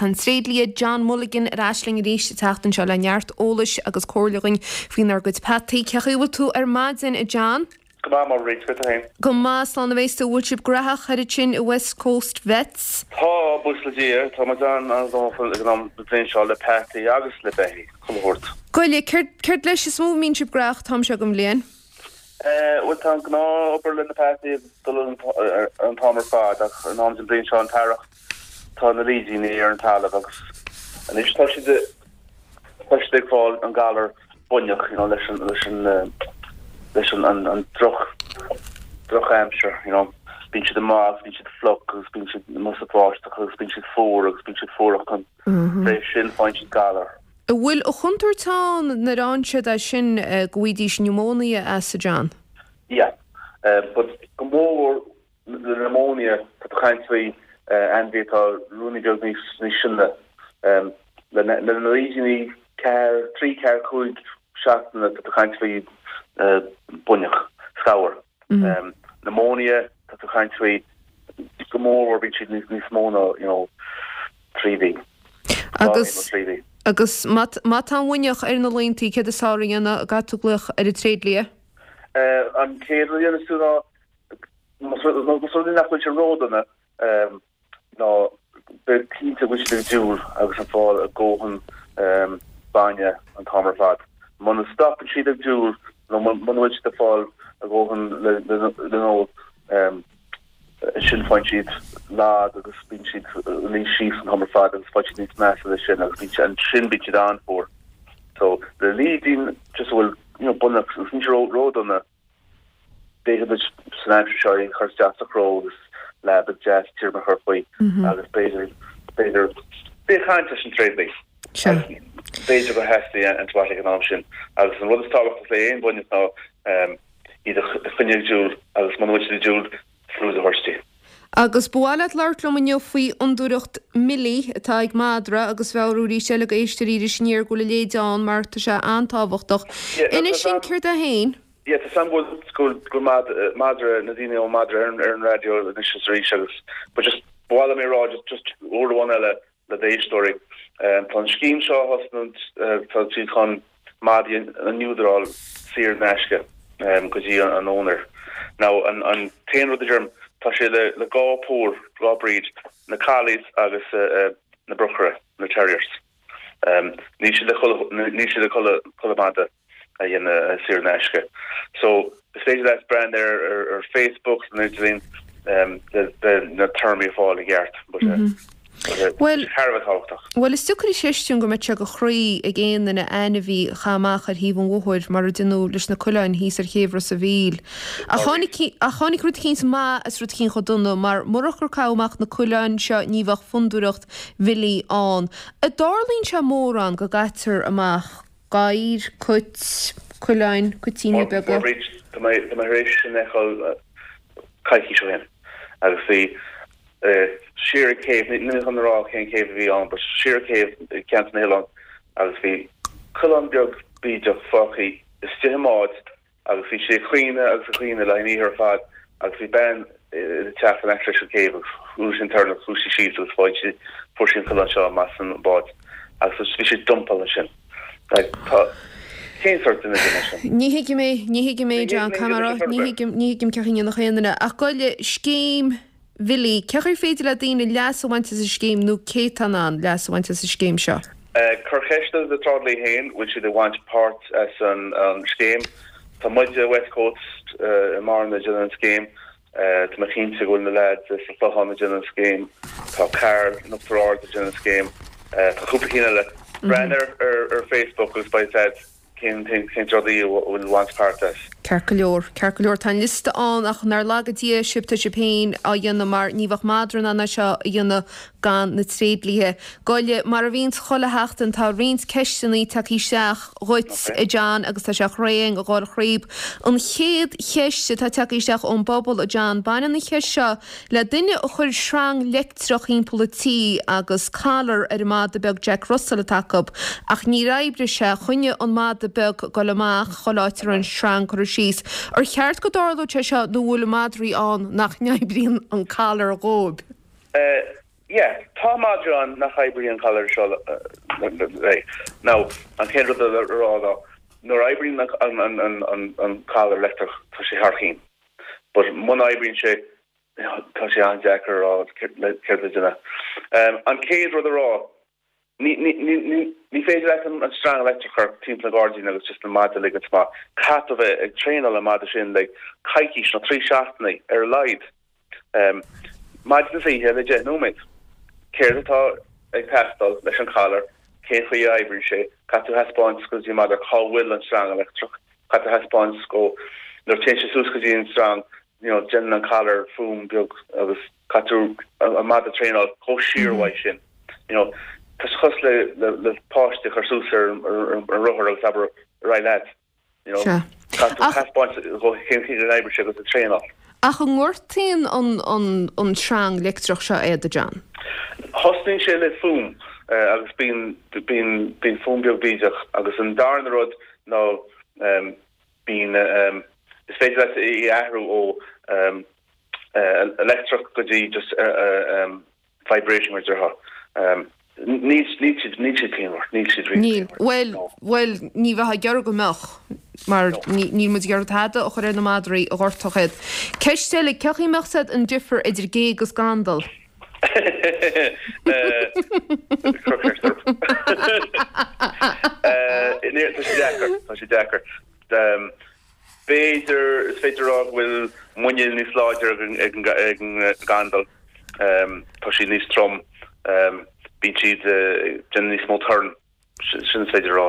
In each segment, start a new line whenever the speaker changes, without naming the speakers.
Ach tá an tréidlia John Mulligan ar ais linn arís an tseachtain seo le neart eolais agus comhairle dhuinn faoinár gcuid peataí. Cén chaoi a bhfuil tú ar maidin, a John?
Go maith, Mairéad, cad é féin?
Go maith, slán a bheas tú. Bhfuil sibh graitheach thoir ansin i West Coast Vets?
Tá, buíochas le Dia. Tá muid an-ghnóthach ag an am den bhliain seo le peataí agus le beithígh, chuile shórt.
Gabh i leith, céard, céard leis is mó a mbíonn sibh graitheach an t-am seo den bhliain?
Bhuel, tá an gnáth-obair le na peataí ag dul an t-am ar fad ach an am den bhliain seo, an t-earrach, tá na lídíní ar an talamh agus anois tá siad, tá siad ag fáil an galar buinneach, you know, leis an, leis an, leis an, an, an droch, drochaimsir, you know. Bíonn siad amuigh agus bíonn siad fliuch agus bíonn siad amuigh sa bháisteach agus bíonn siad fuar agus bíonn siad fuar ach fé sin faigheann siad galar.
An bhfuil an chontúirt ann nuair a fhaigheann siad é sin go bhfaighidís pneumonia as, a John?
Yeah. But go mór mhór Le pneumonia, tá tú ag caint faoi ainmhí atá ruainnín beag níos sine. Le na lídíní ceathair, trí, ceathair, cúig seachtaine, tá tú ag caint faoi buinneach, scamhar. Pneumonia, tá tú ag caint faoi go mór mhór bíonn siad níos mó ná, you know, trí mhí.
Agus, agus má tá an bhuinneach ar na laontaí, céard is fearr a dhéanamh, an gcaithfidh tú glaoch ar an tréidlia?
An chéad rud a dhéanfas tú ná Más rud é nach bhfuil sé ródhona, ná beidh cinnte go bhfuil siad ag diúl agus ag fáil a ndóthain bainne an t-am ar fad. Muna stopann siad ag diúl nó muna bhfuil siad ag fáil a ndóthain le n-ól, ansin faigheann siad lag agus bíonn siad ag luí síos an t-am ar fad agus faigheann siad níos measa leis sin agus bíonn siad, ansin bíonn siad an-fhuar. So, le lídín just a bhfuil, you know, buinneach agus níl sé ródhona, B'fhéidir duit san aimsir seo é a chur isteach sa chró agus leaba deas tirim a chur faoi agus b'fhéidir, b'fhéidir, bí ag caint leis an tréidlia. B'fhéidir gur theastaigh antibiotic ag an am sin. Agus an rud is tábhachtach le aon bhuinneach ná iad a choinneáil ag diúl agus muna bhfuil siad ag diúl, fluid a thabhairt di.
Agus ba mhaith leat labhairt liom inniu faoi fhondúireacht Millie atá ag madra agus mheabhrú arís eile go éisteoirí Iris Aniar go bhfuil a leithéid ann mar tá sé an-tábhachtach. Inis dúinn céard é féin.
Yeah, tá 's a'm go bhfuil go bhfuil madra na daoine ó madra ar an raidió anois is arís agus but just ba mhaith liom é a rá just just uair amháin eile le d'éisteoirí. Tá an scéim seo á thosnú, tá siad chun madaí a neodráil saor in aisce go dtí an owner. Now an t-aon rud a deirim, tá sé le dhá pór, dhá breed, na collies agus na brocaire, na terriers. Níl sé le níl sé le chuile mhadra. a dhéanamh saor in aisce. So, is féidir leat breathnú ar ar Facebook nó idirlíon le na téarmaí a fháil i gceart. But
Bhuel,
thar a bheith tábhachtach.
Bhuel, is deacair a chreistiúint go mbeadh sé de chroí ag aon duine ainmhí a chaitheamh amach ar thaobh an bhóthair mar a deineadh leis na coileáin thíos ar chéibh Ros a' Mhíl. Ach tháinig, ach tháinig rud eicínt maith as rud eicínt chomh dona, mar murach gur caitheadh amach na coileáin seo ní bheadh fondúireacht Mhillie ann. An dtarlaíonn sé mórán go gcaitear amach gadhair, cait, coileáin, cuitíní beaga.
Bríd, tá mé tá mé tar éis sin a fheiceáil coicís ó shin agus bhí siar ag céibh, níl mé chun a rá cén céibh a bhí ann, but siar ag céibh i gceantar na hOileán agus bhí coileán beag bídeach fágtha istigh i mbád Agus bhí sé ag caoineadh agus ag caoineadh le haghaidh an oíche ar fad agus bhí bean ina teach in aice leis an céibh agus chuala sí an torann agus chuaigh sí síos agus fuair sí fuair sí an coileán seo amach as an bád agus bhí sé dumpáilte ansin. Like tá cén sórt duine é sin?
Ní thuigim é, ní thuigim é John, caithfidh mé a rá, ní thuigim, ní thuigim cén chaoi a ndéanfadh aon duine ach gabh i leith scéim Mhillie, cén chaoi ar féidir le daoine leas a bhaint as an scéim nó cé atá in ann leas a bhaint as an scéim seo?
Cuir ceist ar do thréidlia féin, bhfuil siad ag baint páirt as an scéim. Tá muide, West Coast i mBearna ag déanamh an scéim. Tá mé cinnte go bhfuil na leaids sa Chlochán ag déanamh an scéim. Tá Carl in Uachtar Ard ag déanamh an scéim. Tá cúpla cinn eile. Breathnaigh ar Facebook agus beidh a fhios a'd. Cén tréidlia a bhfuil ag baint páirt as?
Ceart go leor, ceart go leor, tá an liosta ann ach nár laga Dia sibh, tá sibh féin á dhéanamh mar ní bheadh madra in ann é seo a dhéanamh gan na tréidliatha. Gabh i leith, mar a bhíonns chuile sheachtain tá roinnt ceisteanna tagtha isteach dhuit, a John, agus tá sé thréan a dhul thríob. An chéad cheist atá tagtha isteach ón bpobal, a John, baineann an cheist seo Le duine a chuir sreang leictreach thimpeall an tí agus collar ar an mada beag Jack Russell atá acu ach níor oibrigh sé, choinnigh an mada beag ag dul amach chuile áit a raibh an sreang curtha síos. Ar cheart go dtarlódh sé seo nó bhfuil madraí ann nach n-oibríonn an collar dhóibh?
Yeah, tá madra ann nach oibríonn an collar seo léi. Now, an chéad rud le rá ná nuair a oibríonn an collar leictreach tá sé thar cinn. But muna oibríonn sé tá sé an-deacair a rá céard le déanamh. An chéad rud a rá, ní ní féidir leat an sreang leictreach a chur timpeall an ghairdín agus just an madra a ligint amach. Caithfidh tú a bheith ag traenáil an madra sin le coicís nó 3 seachtainí ar a laghad. Maidin is oíche le 10 nóiméad. Céard atá ag teastáil leis an collar, cén chaoi a oibríonn sé, caithfidh tú a thaispeáint go dtí an madra cá bhfuil an sreang leictreach, caithfidh tú a thaispeáint go nuair a téann sé suas go dtí an sreang you know déanann an collar fuaim beag agus caithfidh tú an madra a traenáil chomh siar uaidh sin. You know tá sé cosúil le le páiste a chur suas ar an rothar agus abair ar aghaidh leat. You know
Sea.
caithfidh tú taispeáint dhó cén chaoi a n-oibríonn sé agus a traenáil.
Ach an ngortaíonn an an an sreang leictreach seo iad, a John?
Thosnaíonn sé le fuaim agus bíonn bíonn bíonn fuaim beag bídeach agus an darna rud ná bíonn is féidir leat í a athrú ó leictreach go dtí just vibration mar a déarfá. Níl níl siad níl siad pianmhar, níl siad really
Níl.
pianmhar.
Bhuel,
No.
bhuel, ní bheifeá ag iarraidh go mbeadh, mar
No.
ní níl muid ag iarraidh tada a chur ar na madraí a ghortódh iad. Ceist eile, cén chaoi a mbeadh siad an difear idir gé agus gandal?
Cuir ceist orm. Tá sé deacair, tá sé deacair. B'fhéidir, is féidir a rá go bhfuil muineál níos láidre ag an gandal. Tá siad níos trom, bíonn siad ag déanamh níos mó torann. Sin is féidir a rá.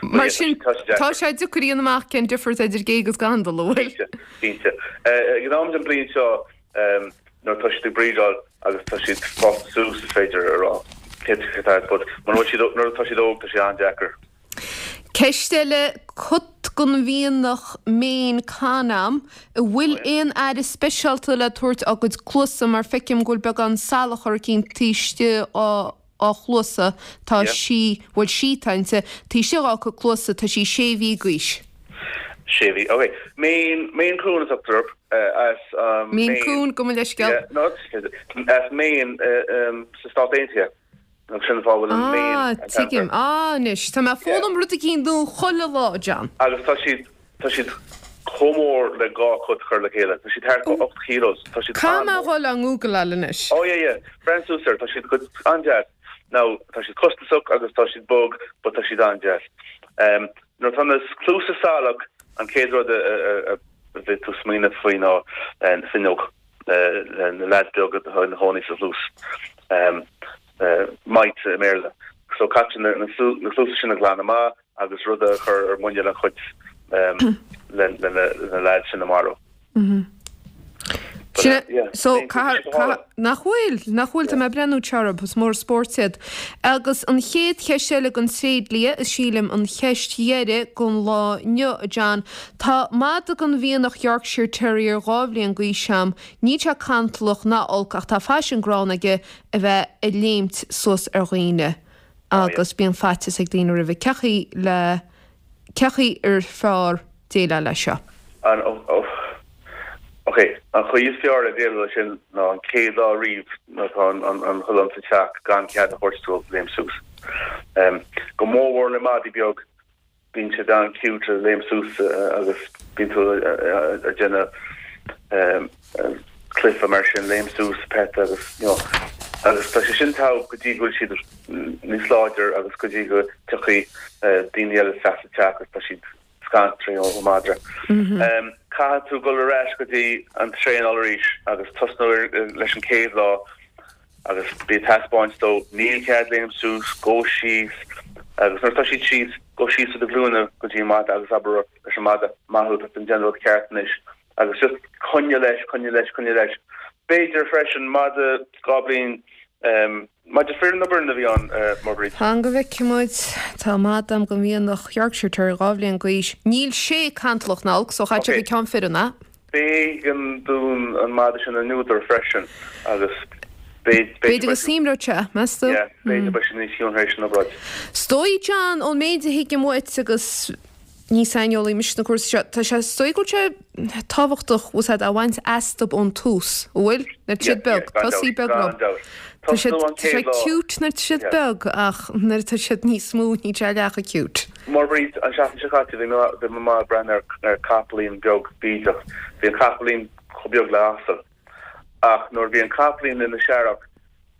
Mar sin, tá sé deacair a dhéanamh amach cén difear atá idir gé agus gandal, an bhfuil?
Cinnte, cinnte. Ag an am den bhliain seo, nuair atá siad ag breedáil agus tá siad fásta suas, is féidir a rá cé atá but mura bhfuil siad, nuair atá siad óg, tá sé an-deacair.
Ceist eile, cat den mhianach Maine Con a'm, an bhfuil aon aire speisialta le tabhairt dá gcuid cluasa mar feicim go bhfuil beagán salachar eicínt taobh istigh dá á chluasa, tá sí, bhuel sí atá inti, taobh istigh dhá cuid cluasa, tá sí sé mhí d'aois.
Sé mhí, ok. Maine, Maine Coon a tugtar orthu, as
Maine Coon, gabh mo leithscéal.
Yeah, no, as Maine sa Stát Aontaithe. Agus sin an fáth a bhfuil an Maine
Ah, tuigim. Ah, anois, tá mé ag foghlaim rud eicínt nua chuile lá, John.
Agus tá siad, Tá siad chomh mór le 2 cat a chur le chéile. Tá siad thart fá 8 kilos. Tá siad
Caithfidh mé a
an-mhór.
dhul á ngúgláil anois.
Oh yeah yeah. Breathnaigh suas air. Tá siad go an-deas. Now, tá siad costasach agus tá siad bog but tá siad an-deas. Um, nuair atá na cluasa salach, an chéad rud a, a, a, a bheidh tú smaoineamh faoi ná eh, finneog. Le, na leaids beaga atá ina chónaí sa chluas. Um, eh, mites i mBéarla. So caithfidh na, na, na cluasa sin a ghlanadh amach agus rud a chur ar muineál an chait le na leaids sin a mharú.
Sin é, so caithfidh, nach bhfuil, nach bhfuil, tá mé ag breathnú orthu, is mór an spórt iad. Agus an chéad cheist eile den tréidlia, is sílim an cheist dheiridh don lá inniu, a John, tá madadh den mhianach Yorkshire Terrier 2 bhliain d'aois a'm, níl sé cantalach ná olc ach tá faisean gránna aige a bheith ag léimt suas ar dhaoine. agus bíonn faitíos ag daoine roimhe. Cén chaoi le, cén chaoi ar fearr déileáil leis seo?
An, ok, an chaoi is fearr le déileáil leis sin ná an chéad lá riamh nuair atá an coileán sa teach gan cead a thabhairt dóibh léim suas. Go mórmhór le madaí beag, Bíonn siad an-cute ag léim suas agus bíonn tú ag déanamh cluiche mar sin, léim suas, pet agus you know agus tá sé sin togha go dtí go bhfuil siad níos láidir agus go dtí go dtiocfaidh daoine eile isteach sa teach agus tá siad scanraithe ón madra. Caithfidh tú dul ar ais go dtí an traenáil arís agus tosnú leis an chéad lá agus bí ag taispeáint dó, níl cead léim suas, gabh síos, agus nuair atá siad síos, gabh síos ar do ghlúine go dtí an mada agus abair leis an mada, maith thú, tá tú ag déanamh rud ceart anois, agus just coinnigh leis, coinnigh leis, coinnigh leis. B'fhéidir freisin, mada 2 bliain, mada fireann nó baineann a bhí ann, Marguerite?
Fan go bhfeicfidh muid. Tá mada a'm den mhianach Yorkshire Terrier 2 bhliain d'aois. Níl sé cantalach ná olc, so chaithfeadh sé gur ceann fireann é.
B'éigean dúinn an madra sin a neudar freisin agus
b'fhéidir. B'fhéidir go suaimhneodh sé, meas tú?
Yeah, b'fhéidir beidh sé níos ciúin tar éis an obráid.
Is dóigh, John, ón méid a thuigim uait agus ní saineolaí mise sna cúrsaí seo, tá sé, is dóigh go bhfuil sé tábhachtach, bhfuil a fhios a'd, a bhaint astub ón tús, an bhfuil? Nuair atá siad beag, tosaí beag leo.
Gan dabht.
Tá siad, tá sé cute nuair atá siad beag ach nuair atá siad níos mó níl sé leath chomh cute.
Mar Bríd, an seachtain seo caite bhí mé, bhí mé ag breathnú ar, ar capaillín beag bídeach. Bhí an capaillín chomh beag le asal. Ach nuair a bhí an capaillín ina searrach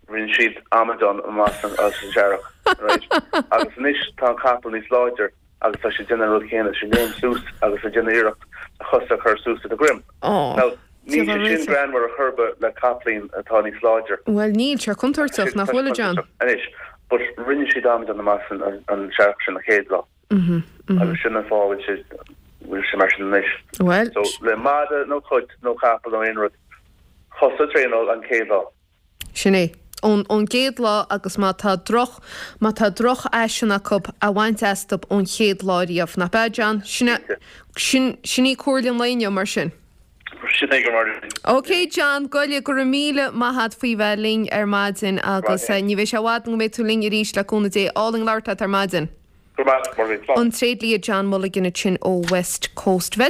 rinne siad amadán amach as an searrach, right? Agus anois tá an capall níos láidir agus tá sé ag déanamh an rud céanna, tá sé ag léim suas agus ag déanamh iarracht a chosa a chur suas ar a dhroim. Now, níl sé sin greannmhar ar chor ar bith le capaillín atá níos láidir.
Bhuel, níl sé contúirteach, nach bhfuil, a John?
Anois, but rinne siad amadán amach as an searrach sin an chéad lá. Agus sin an fáth a bhfuil sé, bhfuil sé mar sin anois.
Bhuel.
So, le mada nó cat nó capall nó aon rud, cosa a traenáil an chéad lá.
Sin é. Ón, ón gcéad lá agus má tá droch, má tá drochfhaisean acu, a bhaint astu ón chéad lá riamh. Nach b'ea, John? Sin é, sin, sin í comhairle an lae inniu, mar sin.
Sin é go mar.
Ok, John, Goille, go raibh míle maith a't faoi bheith linn ar maidin agus ní bheidh sé i bhfad go mbeidh tú linn arís le cúnamh Dé. Álainn labhairt leat ar maidin.
Go raibh maith agat, Máirín.
An tréidlia John Mulligan ansin ó West Coast Vet.